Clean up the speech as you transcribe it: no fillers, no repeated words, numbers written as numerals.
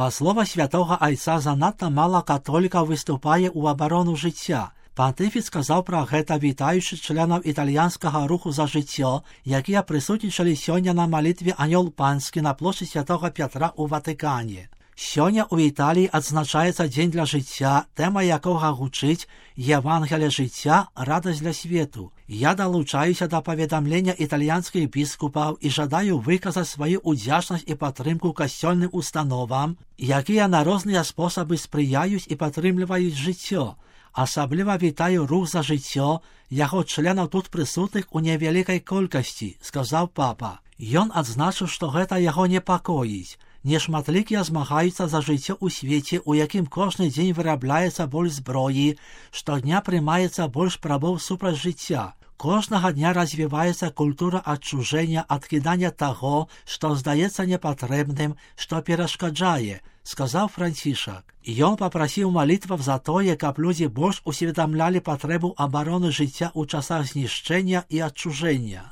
Па слова святого айца, занадта мала католікаў выступае ў абарону жыцця. Пантыфік сказаў пра гэта, вітаючы членаў італьянскага руху за жыццё, якія прысутнічалі сёння на малітве Анёл Панскі на плошчы святого Пятра ў Ватыкане. Сёння ў Італіі адзначаецца дзень для жыцця, тэма якога гучыць «Евангелие жыцця, радасць для свету». Я далучаюся да паведамлення італьянскіх біскупаў і жадаю выказаць сваю удзячнасць і падтрымку касцёльным установам, якія на розныя спосабы спрыяюць і падтрымліваюць жыццё. Асабліва вітаю рух за жыццё, яго членаў тут прысутных у невялікай колькасці, сказаў папа. Ён адзначыў, што гэта яго непакоіць. Нешматлікія змагаюцца за жыццё ў свеце, у якім кожны дзень вырабляецца больш зброі, штодня прымаецца больш спрабаў супраць жыцця. Кожнага дня развіваецца культура адчужэння, адкідання таго, што здаецца непатрэбным, што перашкаджае, сказаў Францішак. Ён папрасіў малітваў за тое, каб людзі больш усведамлялі патрэбу абароны жыцця ў часах знішчэння і адчужэння.